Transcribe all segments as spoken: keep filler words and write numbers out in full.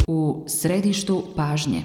U središtu pažnje.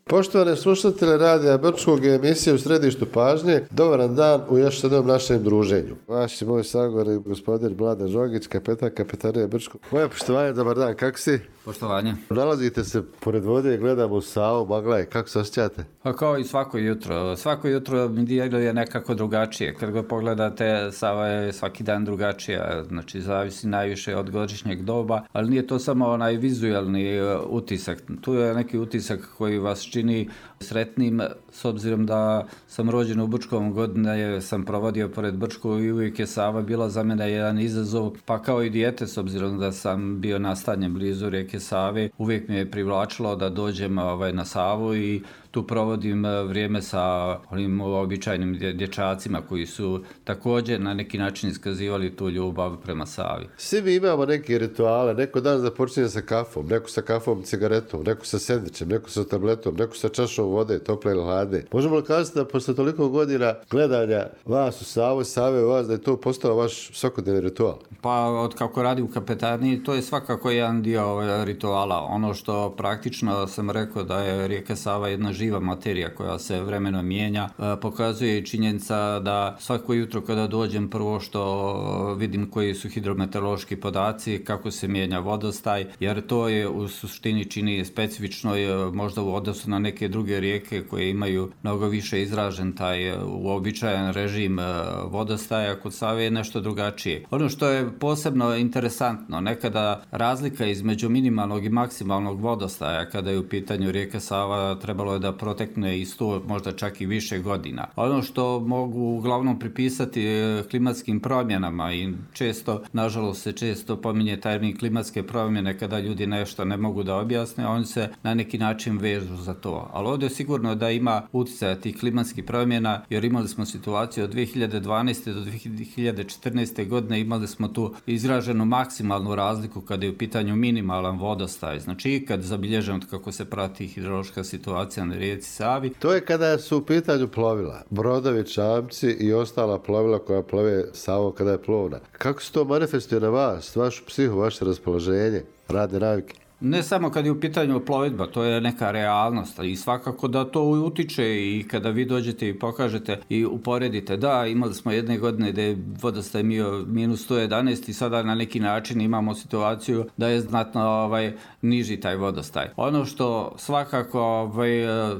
Poštovane slušatelje Radija Brčkog i emisije U središtu pažnje, dobar dan u još jednom našem druženju. Vaš je moj sagovor gospodin Mladen Žogić, kapetan kapetanije Brčkog. Moje poštovanje, dobar dan, kako si? Poštovanje. Nalazite se pored vode i gledamo u Savu, magla je, kako se osjećate? Pa kao i svako jutro. Svako jutro mi djeluje nekako drugačije. Kad ga pogledate, Sava je svaki dan drugačija. Znači, zavisi najviše od godišnjeg doba, ali nije to samo onaj vizualni utisak. Tu je neki utisak koji vas čini sretnim, s obzirom da sam rođen u Brčkom, godine sam provodio pored Brčkog i uvijek je Sava bila za mene jedan izazov, pa kao i dijete, s obzirom da sam bio nastanjen blizu rijeke Save, uvijek mi je privlačilo da dođem ovaj, na Savu i tu provodim vrijeme sa onim običajnim dječacima koji su također na neki način iskazivali tu ljubav prema Savi. Svi mi imamo neke rituale, neko dan započinje sa kafom, neko sa kafom, cigaretom, neko sa sendvičem, neko sa tabletom, neko sa čašom vode, tople ili hladne. Možemo li kazati da posle toliko godina gledanja vas u Savu, Save u vas, da je to postao vaš svakodnevni ritual? Pa od kako radim u kapetaniji, to je svakako jedan dio rituala. Ono što praktično sam rekao da je rijeka Sava jedna živa materija koja se vremenom mijenja, pokazuje i činjenica da svako jutro kada dođem prvo što vidim koji su hidrometeorološki podaci, kako se mijenja vodostaj, jer to je u suštini čini specifično možda u odnosu na neke druge rijeke koje imaju mnogo više izražen taj uobičajen režim vodostaja. Kod Save je nešto drugačije. Ono što je posebno interesantno, nekada razlika između minimalnog i maksimalnog vodostaja kada je u pitanju rijeka Sava trebalo je da protekne i sto, možda čak i više godina. Ono što mogu uglavnom pripisati klimatskim promjenama i često, nažalost se često pominje termin klimatske promjene kada ljudi nešto ne mogu da objasne, oni se na neki način vežu za to. Ali ovdje je sigurno da ima utjecaja tih klimatskih promjena, jer imali smo situaciju od dvije hiljade dvanaeste do dvije hiljade četrnaeste godine, imali smo tu izraženu maksimalnu razliku kada je u pitanju minimalan vodostaj. Znači, kad zabilježemo kako se prati hidrološka situacija na rijeci Savi. To je kada su u pitanju plovila, brodovi, čamci i ostala plovila koja plove Savom kada je plovna. Kako se to manifestuje na vas, vašu psihu, vaše raspoloženje, radne navike? Ne samo kad je u pitanju plovidba, to je neka realnost i svakako da to utiče i kada vi dođete i pokažete i uporedite. Da, imali smo jedne godine da je vodostaj bio minus sto jedanaest i sada na neki način imamo situaciju da je znatno ovaj, niži taj vodostaj. Ono što svakako ovaj,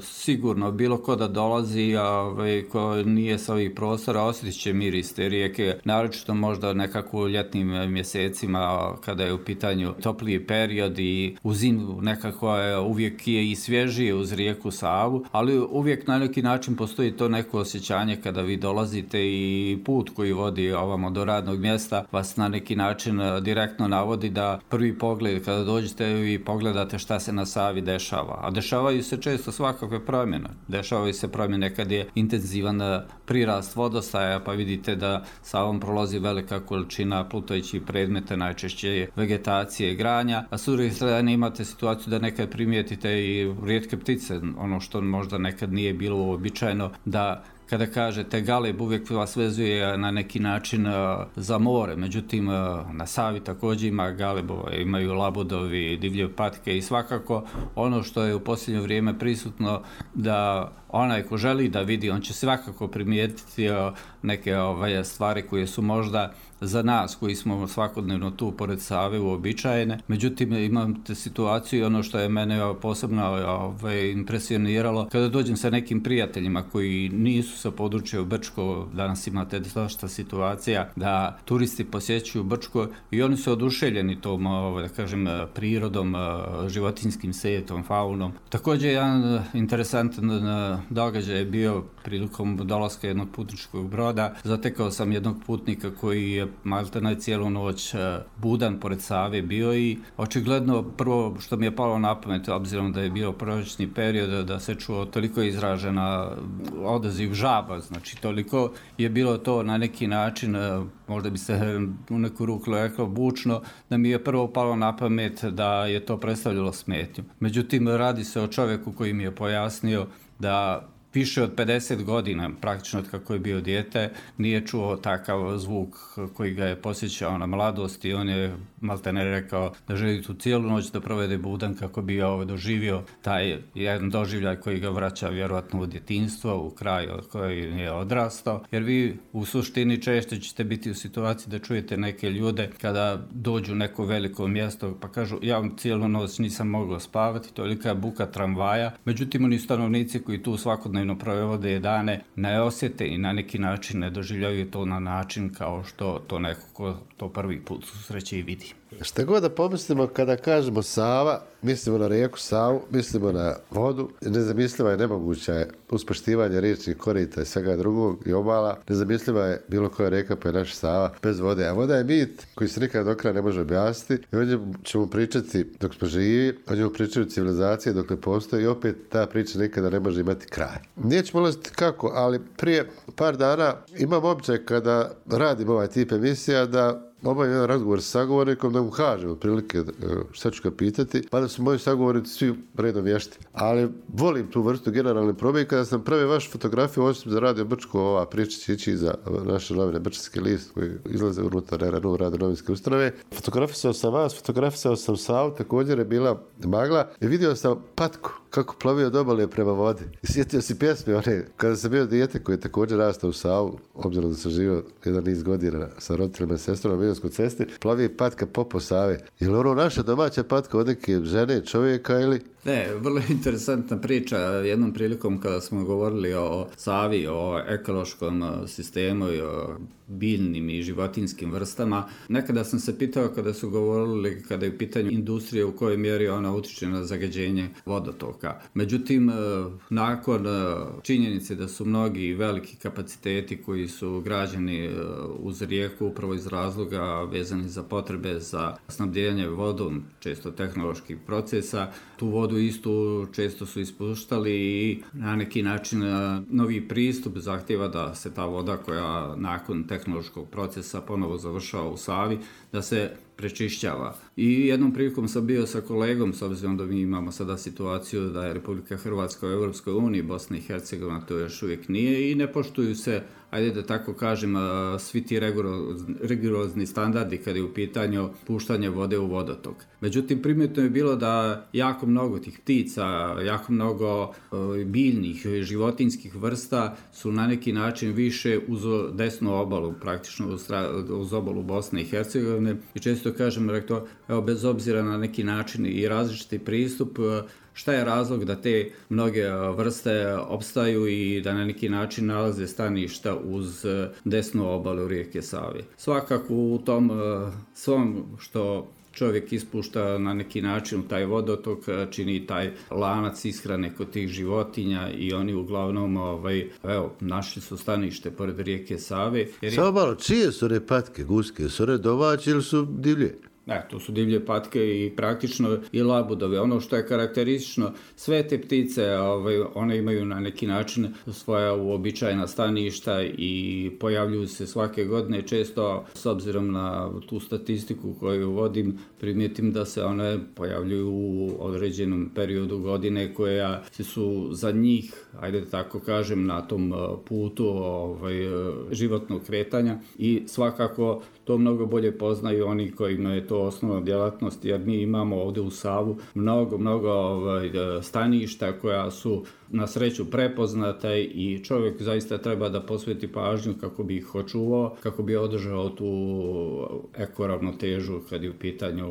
sigurno bilo ko da dolazi ovaj, ko nije sa ovih prostora osjetit će miris te rijeke, naročito možda nekako u ljetnim mjesecima kada je u pitanju topliji period i u zimu nekako je uvijek je i svježije uz rijeku Savu, ali uvijek na neki način postoji to neko osjećanje kada vi dolazite i put koji vodi ovamo do radnog mjesta vas na neki način direktno navodi da prvi pogled kada dođete vi pogledate šta se na Savi dešava. A dešavaju se često svakakve promjene. Dešavaju se promjene kad je intenzivan prirast vodostaja, pa vidite da Savom prolazi velika količina plutajućih predmeta, najčešće vegetacije i granja, a s druge strane imate situaciju da nekad primijetite i rijetke ptice, ono što možda nekad nije bilo uobičajeno, da kada kažete galeb uvijek vas vezuje na neki način uh, za more, međutim uh, na Savi također ima galebova, imaju labudovi, divlje patke i svakako ono što je u posljednje vrijeme prisutno da onaj ko želi da vidi, on će svakako primijetiti uh, neke ovaj, stvari koje su možda za nas koji smo svakodnevno tu pored Save uobičajene. Međutim, imate situaciju i ono što je mene posebno ovaj, impresioniralo, kada dođem sa nekim prijateljima koji nisu sa područja u Brčko, danas imate dosta situacija da turisti posjećuju Brčko i oni su oduševljeni tom, ovaj, da kažem, prirodom, životinjskim svijetom, faunom. Također, jedan interesantan događaj je bio prilikom dolaska jednog putničkog broda. Zatekao sam jednog putnika koji je maltene cijelu noć budan pored Save bio i očigledno prvo što mi je palo na pamet, obzirom da je bio proročni period, da se čuo toliko izražena odaziv žaba, znači toliko je bilo to na neki način, možda bi se u neku ruku reklo bučno, da mi je prvo palo na pamet da je to predstavljalo smetnju. Međutim, radi se o čovjeku koji mi je pojasnio da više od pedeset godina, praktično od kako je bio dijete, nije čuo takav zvuk koji ga je posjećao na mladost i on je maltene rekao da želi tu cijelu noć da provede budan kako bi ovaj doživio taj jedan doživljaj koji ga vraća vjerojatno u djetinjstvo, u kraj od koji je odrastao, jer vi u suštini često ćete biti u situaciji da čujete neke ljude kada dođu u neko veliko mjesto pa kažu ja cijelu noć nisam mogao spavati, tolika je buka tramvaja, međutim oni stanovnici koji tu svakodnevno provode dane ne osjete i na neki način ne doživljaju to na način kao što to neko ko to prvi put susreće i vidi. Šta god da pomislimo kada kažemo Sava, mislimo na rijeku Savu, mislimo na vodu, nezamisliva je, nemoguća je uspoštivanje riječnih korita i svega drugog i obala, nezamisliva je bilo koja rijeka pa je naša Sava bez vode, a voda je mit koji se nikad do kraja ne može objasniti i o njemu ćemo pričati dok smo živi, o njemu pričaju civilizacije dok ne postoji i opet ta priča nikada ne može imati kraj. Nećemo ulaziti kako, ali prije par dana imam običaj kada radim ovaj tip emisija da obavim jedan razgovor sa sagovornikom da mu kažem otprilike šta ću ga pitati, pa da su moji sagovornici svi redom vješti. Ali volim tu vrstu generalne probe i kada sam pravio vašu fotografiju, osim za Radio Brčko, ova priča će ići za naše novine Brčanski list koji izlaze unutar R N U, Radio novinske ustanove. Fotografisao sam vas, fotografisao sam Savu, također je bila magla i vidio sam patku kako plovio od obale prema vodi. I sjetio si pjesme one, kada sam bio dijete koji je također rastao u Savu, obzirom da sam živio jedan niz godina sa roditeljima i sestrom na Milanskoj cesti, plovi patka popo Save. Je li ono naša domaća patka od neke žene, čovjeka ili... Ne, vrlo interesantna priča. Jednom prilikom kada smo govorili o Savi, o ekološkom sistemu i o biljnim i životinskim vrstama, nekada sam se pitao kada su govorili kada je u pitanju industrije u kojoj mjeri ona utiče na zagađenje vodotoka. Međutim, nakon činjenice da su mnogi veliki kapaciteti koji su građeni uz rijeku upravo iz razloga vezani za potrebe za snabdijanje vodom, često tehnoloških procesa, tu vodu istu često su ispuštali i na neki način novi pristup zahtjeva da se ta voda koja nakon tehnološkog procesa ponovo završava u Savi, da se prečišćava. I jednom prilikom sam bio sa kolegom, s obzirom da mi imamo sada situaciju da je Republika Hrvatska u Europskoj uniji, Bosna i Hercegovina to još uvijek nije i ne poštuju se, ajde da tako kažem, svi ti rigorozni standardi kada je u pitanju puštanje vode u vodotok. Međutim, primjetno je bilo da jako mnogo tih ptica, jako mnogo biljnih, životinskih vrsta su na neki način više uz desnu obalu, praktično uz obalu Bosne i Hercegovine i često kažem, rekao, evo, bez obzira na neki način i različiti pristup, šta je razlog da te mnoge vrste opstaju i da na neki način nalaze staništa uz desnu obalu rijeke Save. Svakako u tom svom što čovjek ispušta na neki način u taj vodotok, čini taj lanac ishrane kod tih životinja i oni uglavnom ovaj, evo, našli su stanište pored rijeke Save. Jer... Samo malo, čije su one patke, guske? Su one domaće ili su divlje? Ne, to su divlje patke i praktično i labudove. Ono što je karakteristično, sve te ptice, ovaj, one imaju na neki način svoja uobičajena staništa i pojavljuju se svake godine. Često, s obzirom na tu statistiku koju vodim, primijetim da se one pojavljuju u određenom periodu godine koja su za njih, ajde tako kažem, na tom putu ovaj, životnog kretanja i svakako to mnogo bolje poznaju oni kojima je to osnovna djelatnost, jer mi imamo ovdje u Savu mnogo, mnogo ovaj, staništa koja su na sreću prepoznata i čovjek zaista treba da posveti pažnju kako bi ih očuvao, kako bi održao tu ekoravnotežu kad je u pitanju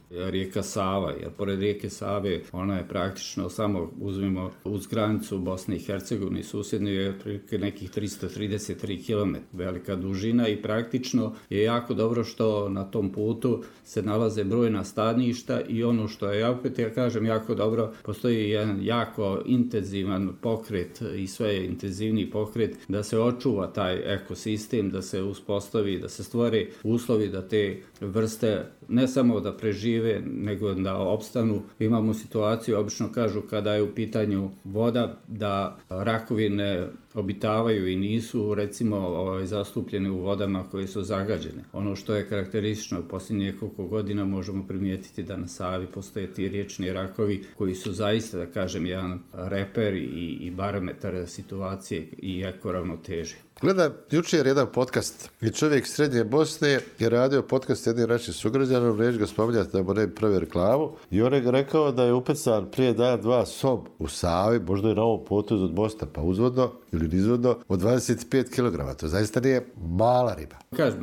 rijeka Sava, jer pored rijeke Save ona je praktično samo uzmimo uz granicu Bosne i Hercegovine i susjedne je otprilike nekih tristo trideset tri kilometra velika dužina i praktično je jako dobro što na tom putu se nalaze brojna staništa i ono što je, ja opet ja kažem, jako dobro, postoji jedan jako intenzivan pokret i sve intenzivniji pokret da se očuva taj ekosistem, da se uspostavi, da se stvore uslovi da te vrste ne samo da prežive, nego da opstanu. Imamo situaciju, obično kažu kada je u pitanju voda, da rakovine obitavaju i nisu recimo ovaj, zastupljene u vodama koje su zagađene. Ono što je karakteristično u posljednjih nekoliko godina možemo primijetiti da na Savi postoje ti riječni rakovi koji su zaista, da kažem, jedan reper i, i barometar situacije i jako ravnoteže. Gledam jučer jedan podcast i čovjek srednje Bosne je radio podcast jednim našim sugrađanom, neću ga spominjati da mu ne bi pravi reklamu, i on je rekao da je upecan prije dan dva sob u Savi, možda je na ovom potezu od mosta, pa uzvodno ili nizvodno, od dvadeset pet kilograma. To zaista nije mala riba. Kažem,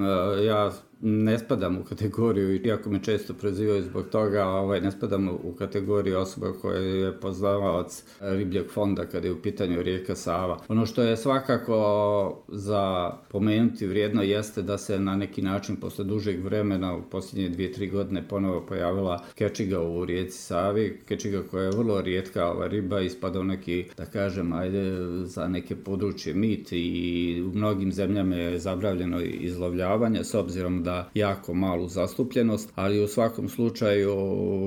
ja ne spadam u kategoriju, iako me često prozivaju zbog toga, ovaj, ne spadam u kategoriju osoba koja je poznavaoc ribljeg fonda kada je u pitanju rijeka Sava. Ono što je svakako za pomenuti vrijedno jeste da se na neki način posle dužeg vremena u posljednje dvije, tri godine ponovo pojavila kečiga u rijeci Savi. Kečiga koja je vrlo rijetka ova riba, ispada u neki, da kažem, ajde, za neke područje mit i u mnogim zemljama je zabranjeno izlovljavanje s obzirom da jako malu zastupljenost, ali u svakom slučaju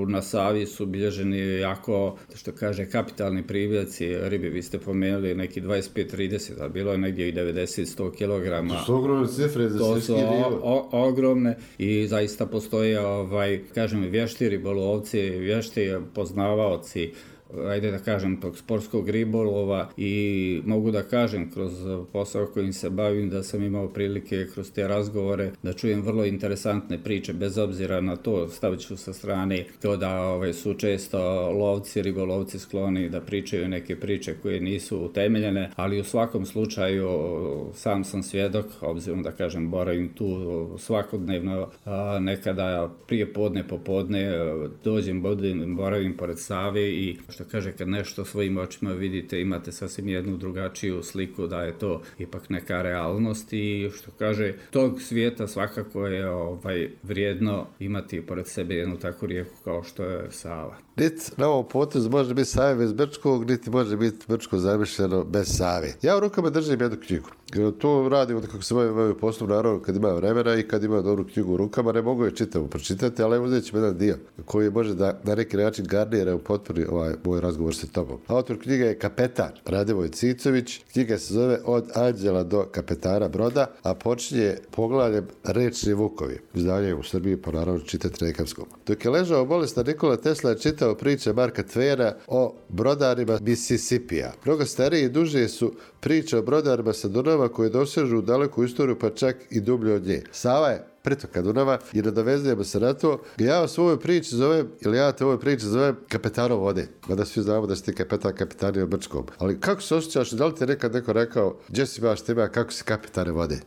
na Savi su bilježeni jako, što kaže, kapitalni privljaci ribe. Vi ste pomenuli neki dvadeset pet trideset, a bilo je negdje i devedeset do sto kilograma. To su ogromne cifre za svjetski nivo. O, o, ogromne i zaista postoje, ovaj, kažem, vješti ribolovci, vješti poznavaoci, ajde da kažem, tog sportskog ribolova, i mogu da kažem kroz posao kojim se bavim da sam imao prilike kroz te razgovore da čujem vrlo interesantne priče, bez obzira na to, stavit ću sa strane to da ovaj, su često lovci, ribolovci skloni da pričaju neke priče koje nisu utemeljene, ali u svakom slučaju sam sam svjedok, obzirom da kažem boravim tu svakodnevno, a, nekada prije podne, popodne dođem, bodim, boravim pored Save i što kaže, kad nešto svojim očima vidite, imate sasvim jednu drugačiju sliku da je to ipak neka realnost, i što kaže, tog svijeta svakako je ovaj, vrijedno imati pored sebe jednu takvu rijeku kao što je Sava. Niti na ovom potezu može biti Save bez Brčkog, niti može biti Brčko zamišljeno bez Save. Ja u rukama držim jednu knjigu. To radim kako se moju poslu, naravno, kad ima vremena i kad ima dobru knjigu u rukama, ne mogu je čitavu pročitati, ali uzet ćemo jedan dio koji može da na neki način garnira u potpuni ovaj moj razgovor sa tobom. Autor knjige je kapetan Radivoj Cicović. Knjiga se zove Od anđela do kapetana broda, a počinje poglavljem Rečni vukovi. Izdanje u Srbiji, po naravno čitati na engleskom. Dok je ležao bolestan, Nikola Tesla je čitao priče Marka Tvena o brodarima Mississippija. Mnogo starije i duže su priče o brodarima sa Dunava koje dosežu u daleku istoriju, pa čak i dublje od nje. Sava je pritoka Dunava i nadovezujemo se na to. Ja o svojoj priči zovem, ili ja te ovoj priči zovem kapetanom vode. Mada svi znamo da si ti kapetan kapetanije u Brčkom. Ali kako se osjećaš, da li ti je nekad neko rekao, gdje si baš tema, kako si kapetane vode?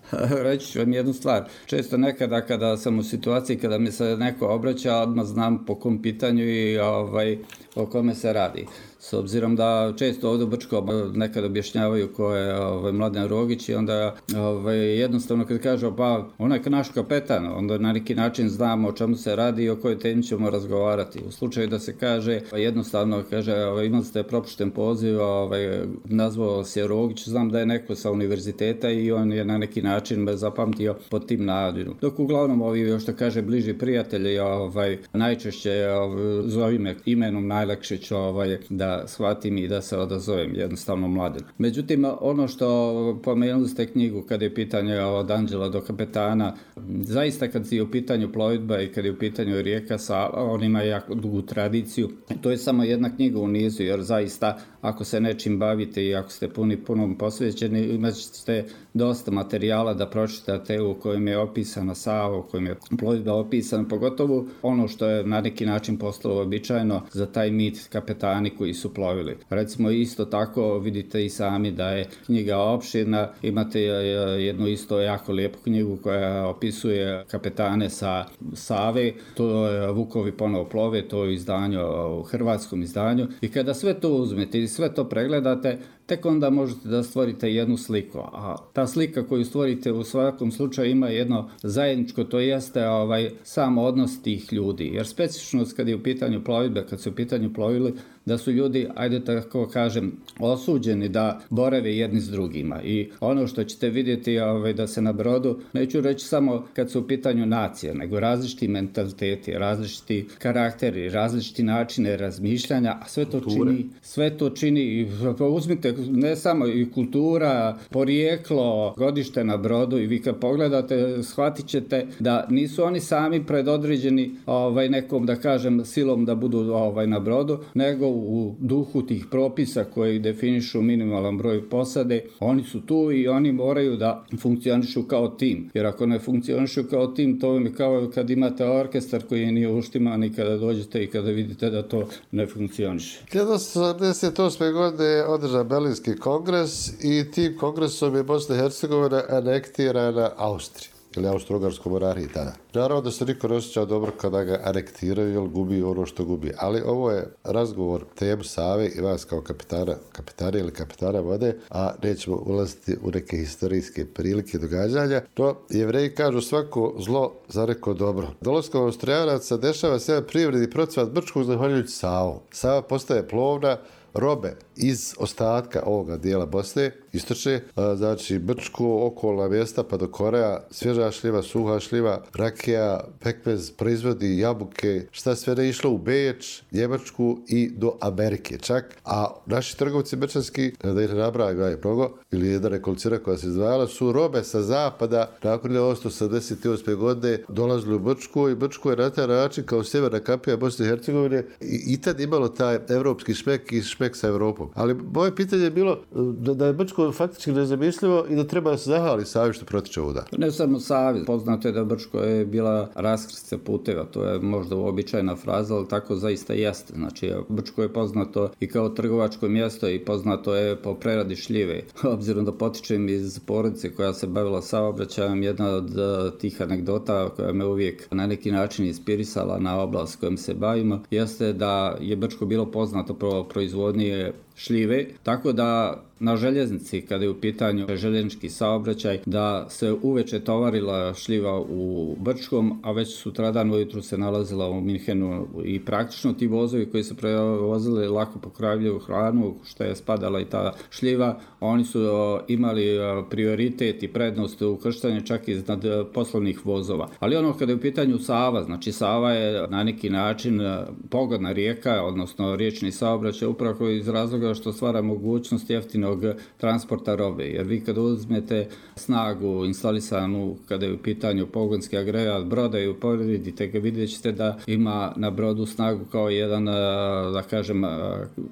Reći ću vam jednu stvar. Često nekada kada sam u situaciji kada mi se neko obraća, odmah znam po kom pitanju i ovaj, o kome se radi. S obzirom da često ovdje u Brčkom nekad objašnjavaju ko je ovaj, Mladen Rogić, i onda ovaj, jednostavno kad kažu pa on je naš kapetan, onda na neki način znamo o čemu se radi i o kojoj temi ćemo razgovarati. U slučaju da se kaže jednostavno, kaže ovaj, imali ste propušten poziv, ovaj, nazvao se Rogić, znam da je neko sa univerziteta i on je na neki način me zapamtio pod tim nadinom. Dok uglavnom ovi, još što kaže, bliži prijatelji, ovaj, najčešće ovaj, zove me imenom, najlakše ću ovaj, da shvatim i da se odazovem, jednostavno Mladen. Međutim, ono što pomenuli ste knjigu kada je pitanje od anđela do kapetana, zaista kad je u pitanju plovidba i kad je u pitanju rijeka Sava, on ima jako dugu tradiciju. To je samo jedna knjiga u nizu, jer zaista ako se nečim bavite i ako ste puni punom posvećeni, imat ćete dosta materijala da pročitate u kojem je opisana Sava, u kojem je plovidba opisana, pogotovo ono što je na neki način postalo običajno za taj mit kapetani koji su plovili. Recimo isto tako vidite i sami da je knjiga opširna, imate jednu isto jako lijepu knjigu koja opisuje kapetane sa Save, to je Vukovi ponovo plove, to je izdanje u hrvatskom izdanju, i kada sve to uzmete i sve to pregledate, tek onda možete da stvorite jednu sliku. A ta slika koju stvorite u svakom slučaju ima jedno zajedničko, to jeste ovaj, sam odnos tih ljudi. Jer specifičnost kad je u pitanju plovidbe, kad su u pitanju plovili, da su ljudi, ajde tako kažem, osuđeni da borave jedni s drugima. I ono što ćete vidjeti ovaj, da se na brodu, neću reći samo kad su u pitanju nacije, nego različiti mentaliteti, različiti karakteri, različiti načine razmišljanja, a sve to kulture. čini, sve to čini, uzmite ne samo i kultura, porijeklo, godište na brodu i vi kad pogledate, shvatit ćete da nisu oni sami predodređeni ovaj, nekom, da kažem, silom da budu ovaj, na brodu, nego u duhu tih propisa koji definišu minimalan broj posade, oni su tu i oni moraju da funkcionišu kao tim. Jer ako ne funkcionišu kao tim, to je kao kad imate orkestar koji nije uštiman i kada dođete i kada vidite da to ne funkcioniše. hiljadu osamsto sedamdeset osme. godine je održan Berlinski kongres i tim kongresom je Bosna i Hercegovina anektirana Austriji ili Austro-Ugarskoj monarhiji tada. Naravno da se niko ne osjećao dobro kada ga anektiraju jer gubi ono što gubi. Ali ovo je razgovor temu Save i vas kao kapitana, kapitana ili kapitana vode, a nećemo ulaziti u neke historijske prilike i događanja. To Jevreji kažu svako zlo za neko dobro. Dolaskom Austrijanaca dešava se jedan privredni procvat Brčkog zahvaljujući Savom. Sava postaje plovna, robe iz ostatka ovoga dijela Bosne, istočne, znači Brčko, okolna mjesta pa do Koreja, svježa šljiva, suha šljiva, rakija, pekmez, proizvodi, jabuke, šta sve ne išlo u Beč, Njemačku i do Amerike čak. A naši trgovci brčanski, da ih ne nabrajaju mnogo, ili jedna nekolicina koja se izdvajala, su robe sa zapada nakon hiljadu osamsto sedamdeset osme. godine dolazili u Brčku i Brčko je na taj način kao sjeverna kapija Bosne i Hercegovine i, i tad imalo taj evropski šmek i šmek sa Evropom. Ali moje pitanje je bilo da, da je Brčko faktički nezamislivo i da treba da se zahvali Savi što protiče ovuda. Ne samo Savi, poznato je da Brčko je bila raskrsnica puteva, to je možda uobičajena fraza, ali tako zaista jeste. Znači, Brčko je poznato i kao trgovačko mjesto i poznato je po preradi šljive. Obzirom da potičem iz porodice koja se bavila saobraćajem, jedna od tih anegdota koja me uvijek na neki način inspirisala na oblast kojom se bavimo, jeste da je Brčko bilo poznato pro proizvodnje šljive, tako da na željeznici, kada je u pitanju željeznički saobraćaj, da se uveče tovarila šljiva u Brčkom, a već sutradan ujutru se nalazila u Minhenu i praktično ti vozovi koji se prevozili lako pokravljaju hranu, što je spadala i ta šljiva, oni su imali prioritet i prednost u krštanju čak iznad poslovnih vozova. Ali ono kada je u pitanju Sava, znači Sava je na neki način pogodna rijeka, odnosno riječni saobraćaj upravo iz razloga što stvara mogućnost jeftinog transporta robe. Jer vi kada uzmete snagu instalisanu kada je u pitanju pogonski agregat broda i uporedite ga, vidjet ćete da ima na brodu snagu kao jedan, da kažem,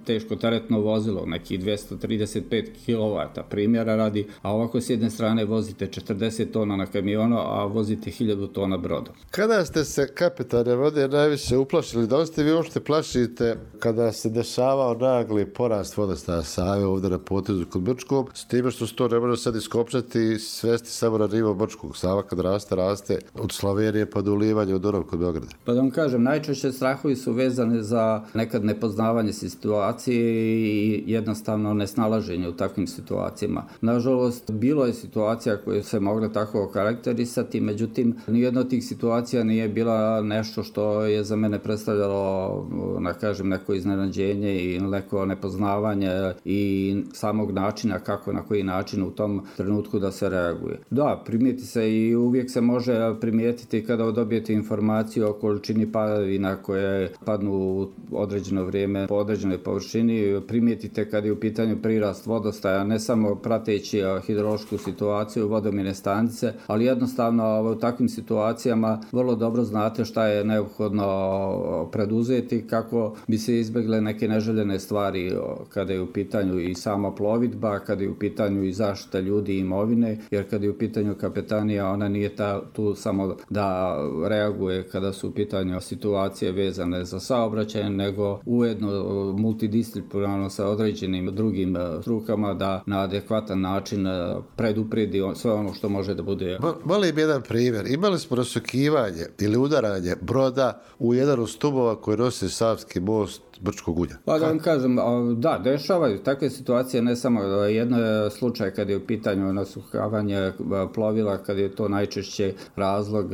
teško teretno vozilo, neki dvjesto trideset pet kilovata primjera radi, a ovako s jedne strane vozite četrdeset tona na kamionu, a vozite hiljadu tona brodom. Kada ste se, kapitane vode, najviše uplašili? Da li ste vi uopšte plašite kada se dešavao nagli porast vodostaja Save ovdje na potezu kod Brčkog, s time što se to ne može sad iskopčati i svesti samo na nivo Brčkog? Sava kad raste, raste od Slovenije pa do ulivanja u Dunav kod Beograda. Pa da vam kažem, najčešće strahovi su vezane za nekad nepoznavanje situacije i jednostavno nesnalaženje u takvim situacijama. Nažalost, bilo je situacija koje se mogle tako okarakterisati, međutim, nijedna od tih situacija nije bila nešto što je za mene predstavljalo, da kažem, neko iznenađenje i neko nepoznavanje i samog načina kako, na koji način u tom trenutku da se reaguje. Da, primijeti se i uvijek se može primijetiti kada dobijete informaciju o količini padavina koje padnu u određeno vrijeme po određenoj površini. Primijetite kada je u pitanju prirast vodostaja, ne samo prateći hidrološku situaciju vodomjerne stanice, ali jednostavno u takvim situacijama vrlo dobro znate šta je neophodno preduzeti kako bi se izbjegle neke neželjene stvari kada je u pitanju i sama plovidba, kada je u pitanju i zaštita ljudi i imovine, jer kada je u pitanju kapetanija, ona nije ta, tu samo da reaguje kada su u pitanju situacije vezane za saobraćaj, nego ujedno multidisciplinarno sa određenim drugim strukama da na adekvatan način predupredi sve ono što može da bude. Molim jedan primjer. Imali smo rasukivanje ili udaranje broda u jedan od stubova koji nosi Savski most Brčkog ulja. Pa da vam kažem, da, dešavaju takve situacije, ne samo jedno je slučaj kad je u pitanju nasuhavanje plovila, kad je to najčešće razlog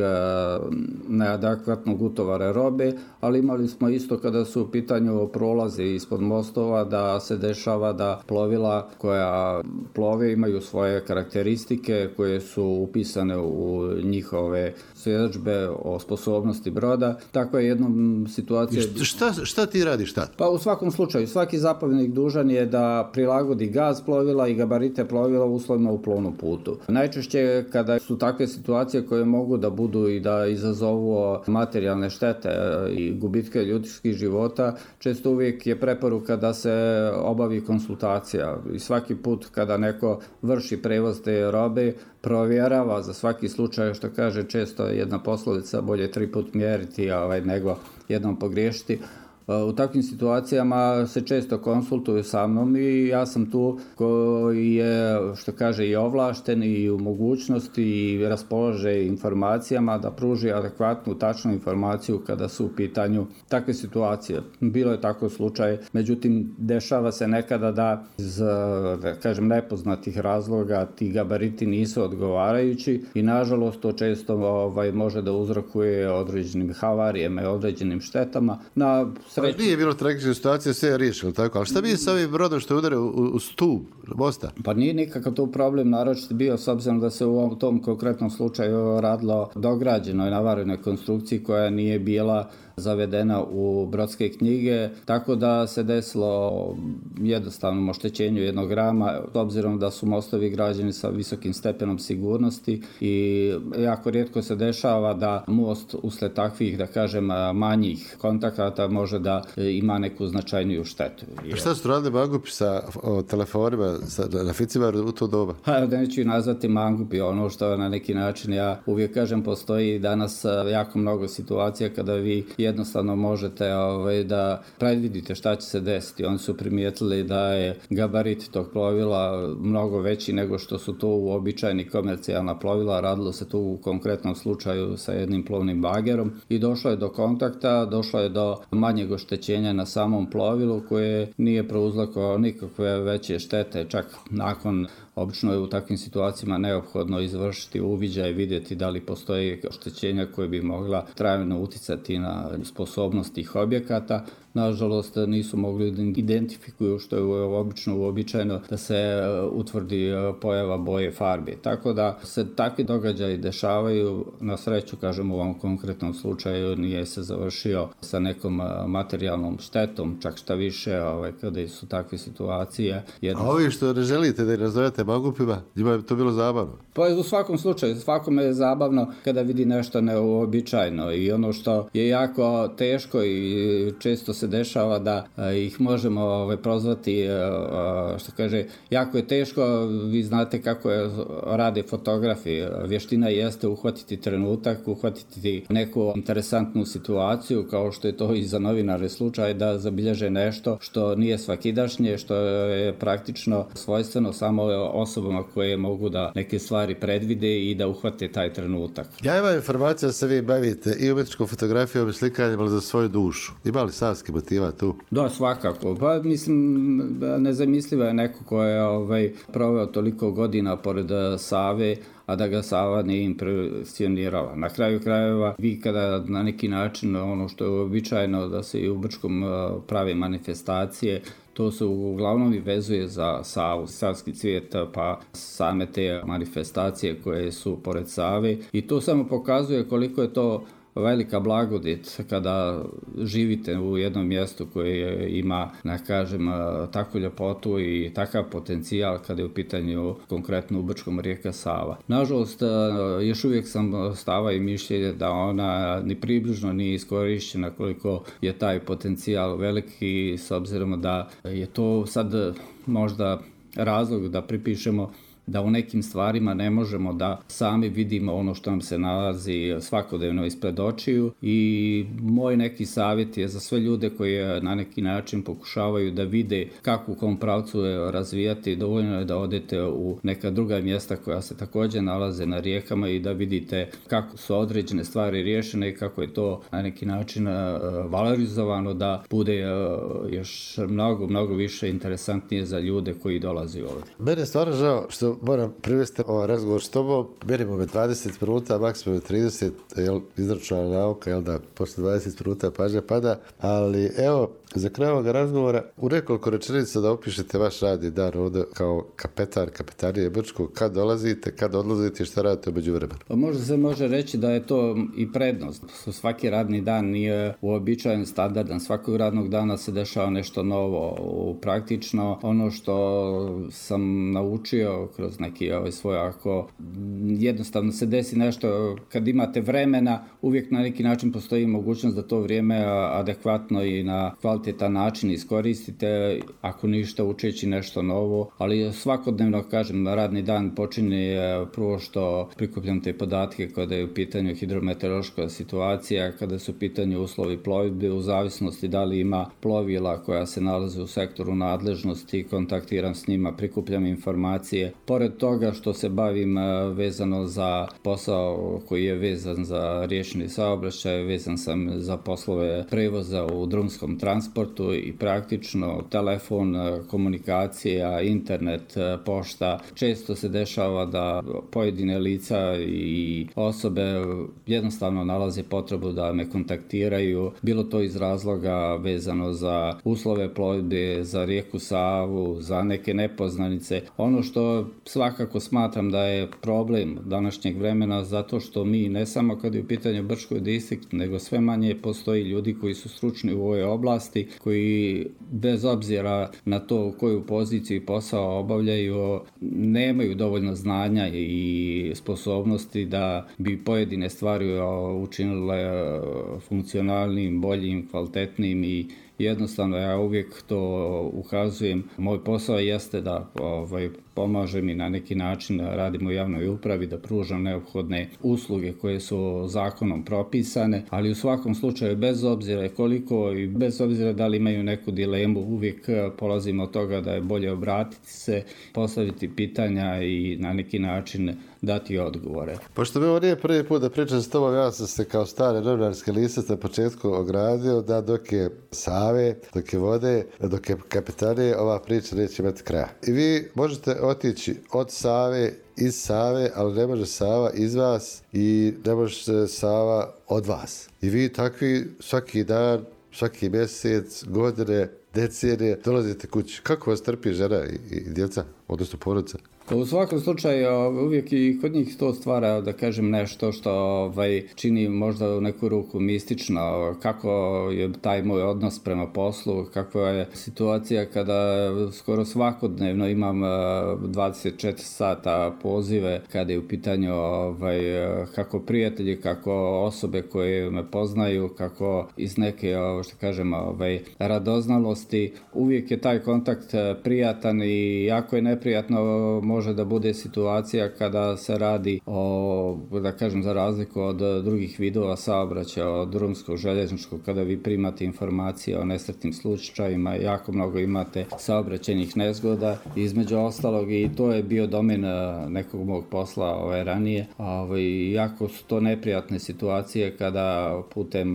neadekvatnog utovara robe, ali imali smo isto kada su u pitanju prolaze ispod mostova, da se dešava da plovila koja plove imaju svoje karakteristike koje su upisane u njihove svjedodžbe o sposobnosti broda. Takva je jednom situacija... Šta, šta ti radiš tad? Pa u svakom slučaju, svaki zapovjednik dužan je da prilagodi gaz plovila i gabarite plovila uslovima u plovnom putu. Najčešće kada su takve situacije koje mogu da budu i da izazovu materijalne štete i gubitke ljudskih života, često uvijek je preporuka da se obavi konsultacija. I svaki put kada neko vrši prevoz te robe, provjerava za svaki slučaj, što kaže često jedna poslovica, bolje tri put mjeriti ovaj, nego jednom pogriješiti. U takvim situacijama se često konsultuju sa mnom i ja sam tu koji je, što kaže, i ovlašten i u mogućnosti i raspolaže informacijama da pruži adekvatnu, tačnu informaciju kada su u pitanju takve situacije. Bilo je tako slučaj, međutim, dešava se nekada da iz, da kažem, nepoznatih razloga ti gabariti nisu odgovarajući i nažalost to često ovaj, može da uzrokuje određenim havarijama i određenim štetama. Na sreću... Nije bilo tragične situacije, sve je riješilo, tako? Ali šta bi sa ovim brodom što je udare u, u stup mosta? Pa nije nikakav tu problem, naročito bio s obzirom da se u tom konkretnom slučaju radilo dograđenoj navarenoj konstrukciji koja nije bila zavedena u brodske knjige, tako da se desilo jednostavnom oštećenju jednog rama, s obzirom da su mostovi građeni sa visokim stepenom sigurnosti i jako rijetko se dešava da most usled takvih, da kažem, manjih kontakata može da ima neku značajniju štetu. A šta su radili mangupi sa o, telefonima, sa naficima u to doba? Pa da neću ih nazvati mangupi, ono što na neki način ja uvijek kažem, postoji danas jako mnogo situacija kada vi jednostavno možete ovaj, da predvidite šta će se desiti. Oni su primijetili da je gabarit tog plovila mnogo veći nego što su to uobičajeni komercijalna plovila. Radilo se tu u konkretnom slučaju sa jednim plovnim bagerom i došlo je do kontakta, došlo je do manjeg oštećenja na samom plovilu koje nije prouzrokovalo nikakve veće štete. Čak nakon, obično je u takvim situacijama neophodno izvršiti uviđaj i vidjeti da li postoje oštećenja koje bi mogla trajno uticati na sposobnost tih objekata. Nažalost, nisu mogli da identifikuju, što je obično uobičajeno, da se utvrdi pojava boje farbe. Tako da se takvi događaji dešavaju. Na sreću, kažem, u ovom konkretnom slučaju nije se završio sa nekom materijalnom štetom, čak šta više, ovaj, kada su takve situacije. Jedno... A ovi što ne želite da ih nazovete mangupima, njima je to bilo zabavno? Pa u svakom slučaju, svakome je zabavno kada vidi nešto neuobičajno i ono što je jako teško i često se dešava da ih možemo ovaj, prozvati, što kaže, jako je teško, vi znate kako je, rade fotografi, vještina jeste uhvatiti trenutak, uhvatiti neku interesantnu situaciju, kao što je to i za novinare slučaj, da zabilježe nešto što nije svakidašnje, što je praktično svojstveno samo osobama koje mogu da neke stvari predvide i da uhvate taj trenutak. Ja imam informaciju da se vi bavite i umjetničkom fotografijom i slikanjem, ali za svoju dušu. Ima li savski motiva tu? Da, svakako. Pa mislim, nezamislivo je neko ko je ovaj, proveo toliko godina pored Save, a da ga Sava nije impresionirala. Na kraju krajeva, vi kada na neki način, ono što je uobičajeno da se i u Brčkom prave manifestacije, to se uglavnom i vezuje za Savu, savski cvijet, pa same te manifestacije koje su pored Save. I to samo pokazuje koliko je to velika blagodat kada živite u jednom mjestu koje ima, da kažem, takvu ljepotu i takav potencijal kada je u pitanju konkretno u Brčkom rijeka Sava. Nažalost, još uvijek sam stava i mišljenja da ona ni približno nije iskorišćena koliko je taj potencijal veliki, s obzirom da je to sad možda razlog da pripišemo da u nekim stvarima ne možemo da sami vidimo ono što nam se nalazi svakodnevno ispred očiju i moj neki savjet je za sve ljude koji na neki način pokušavaju da vide kako u kom pravcu razvijati, dovoljno je da odete u neka druga mjesta koja se također nalaze na rijekama i da vidite kako su određene stvari riješene i kako je to na neki način valorizovano da bude još mnogo, mnogo više interesantnije za ljude koji dolaze ovdje. Mene je stvarno žao što moram privesti ovaj razgovor s tobom. Merimo me dvadeset minuta, maksimum trideset, jel, izračunalna nauka, jel da, posle dvadeset minuta pažnja pada, ali evo, za kraj ovoga razgovora u nekoliko rečenica da opišete vaš radni dan ovdje kao kapetan kapetanije Brčkog, kad dolazite, kad odlazite i šta radite u međuvremenu. Pa možda se može reći da je to i prednost. Svaki radni dan nije uobičajen, standardan, svakog radnog dana se dešava nešto novo. Praktično ono što sam naučio kroz neki ovaj svoj, ako jednostavno se desi nešto kad imate vremena, uvijek na neki način postoji mogućnost da to vrijeme adekvatno i na kvalitetan način iskoristite, ako ništa učeći nešto novo, ali svakodnevno, kažem, radni dan počinje prvo što prikupljam te podatke kada je u pitanju hidrometeorološka situacija, kada su u pitanju uslovi plovidbe, u zavisnosti da li ima plovila koja se nalaze u sektoru nadležnosti, kontaktiram s njima, prikupljam informacije. Pored toga što se bavim vezano za posao koji je vezan za riječni saobraćaj, vezan sam za poslove prevoza u drumskom transportu i praktično telefon, komunikacija, internet, pošta. Često se dešava da pojedine lica i osobe jednostavno nalaze potrebu da me kontaktiraju, bilo to iz razloga vezano za uslove plovidbe, za rijeku Savu, za neke nepoznanice. Ono što svakako smatram da je problem današnjeg vremena, zato što mi ne samo kad je u pitanju Brčkog distrikt, nego sve manje postoji ljudi koji su stručni u ovoj oblasti, koji bez obzira na to u koju poziciju i posao obavljaju, nemaju dovoljno znanja i sposobnosti da bi pojedine stvari učinile funkcionalnim, boljim, kvalitetnim i jednostavno ja uvijek to ukazujem. Moj posao jeste da ovaj, pomažem i na neki način radim u javnoj upravi, da pružam neophodne usluge koje su zakonom propisane, ali u svakom slučaju bez obzira koliko i bez obzira da li imaju neku dilemu, uvijek polazim od toga da je bolje obratiti se, postaviti pitanja i na neki način dati odgovore. Pošto mi ovo nije prvi put da pričam s tobom, ja sam se kao stare novinarske lisac na početku ogradio da dok je Save, dok je vode, dok je kapetanije, ova priča neće imati kraja. I vi možete otići od Save, iz Save, ali ne može Sava iz vas i ne može Sava od vas. I vi takvi svaki dan, svaki mjesec, godine, decenije dolazite kući. Kako vas trpi žena i, i djeca, odnosno porodica? U svakom slučaju uvijek i kod njih to stvara, da kažem, nešto što ovaj, čini možda u neku ruku mistično, kako je taj moj odnos prema poslu, kakva je situacija kada skoro svakodnevno imam dvadeset četiri sata pozive kada je u pitanju ovaj, kako prijatelji, kako osobe koje me poznaju, kako iz neke, što kažem, ovaj, radoznalosti. Uvijek je taj kontakt prijatan i jako je neprijatno može da bude situacija kada se radi o, da kažem, za razliku od drugih vidova saobraćaja, od drumskog, željezničkog, kada vi primate informacije o nesretnim slučajima, jako mnogo imate saobraćajnih nezgoda, između ostalog, i to je bio domen nekog mog posla ovaj, ranije. Ovaj, jako su to neprijatne situacije kada putem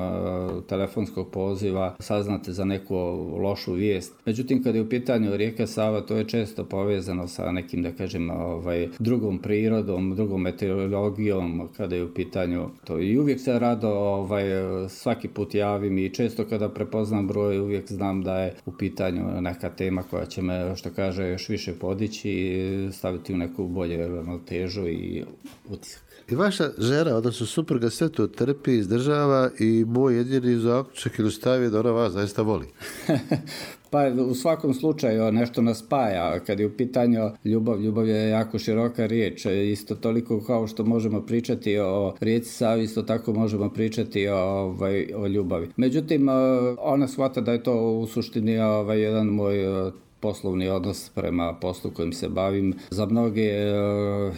telefonskog poziva saznate za neku lošu vijest. Međutim, kada je u pitanju rijeka Sava, to je često povezano sa nekim, da kažem, ovaj, drugom prirodom, drugom meteorologijom, kada je u pitanju to. I uvijek se rado ovaj, svaki put javim i često kada prepoznam broj, uvijek znam da je u pitanju neka tema koja će me, što kaže, još više podići i staviti u neku bolje ravnotežu i utisak. I vaša žena, odnosno supruga, sve to trpi, izdržava i moj jedini zaključak ili stav je da ona vas zaista voli. Pa u svakom slučaju nešto nas spaja. Kad je u pitanju ljubav, ljubav je jako široka riječ. Isto toliko kao što možemo pričati o rijeci Savi, isto tako možemo pričati o, ovaj, o ljubavi. Međutim, ona shvata da je to u suštini ovaj, jedan moj poslovni odnos prema poslu kojim se bavim. Za mnoge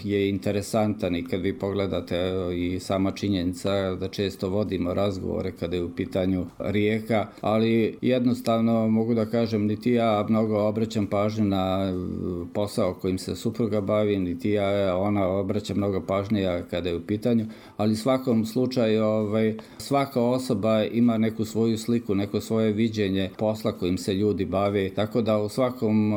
je interesantan i kad vi pogledate i sama činjenica da često vodimo razgovore kada je u pitanju rijeka, ali jednostavno mogu da kažem niti ja mnogo obraćam pažnju na posao kojim se supruga bavi, niti ja ona obraća mnogo pažnje kada je u pitanju, ali u svakom slučaju ovaj, svaka osoba ima neku svoju sliku, neko svoje viđenje posla kojim se ljudi bave, tako da u svakom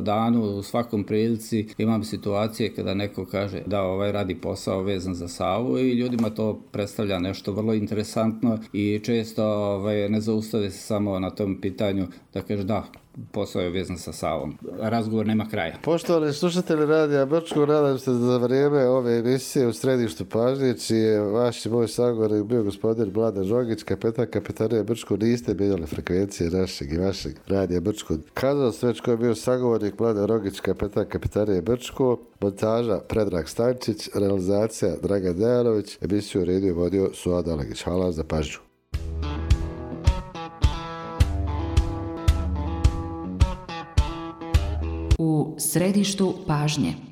danu, u svakom prilici imam situacije kada neko kaže da ovaj radi posao vezan za Savu i ljudima to predstavlja nešto vrlo interesantno i često ovaj, ne zaustave se samo na tom pitanju da kaže da, posao je vezan sa Savom. Razgovor nema kraja. Poštovani slušatelji Radija Brčko, nadam se da za vrijeme ove emisije u središtu pažnje, čiji je vaš i moj sagovornik bio gospodin Mladen Žogić, kapetan Kapetanije Brčko, niste mijenjali frekvencije našeg i vašeg Radija Brčko. Kazao sam već ko je bio sagovornik Mladen Žogić, kapetan Kapetanije Brčko, montaža Predrag Stančić, realizacija Dragan Dejanović, emisiju redio vodio Suad Alegić. Hvala za pažnju. U središtu pažnje.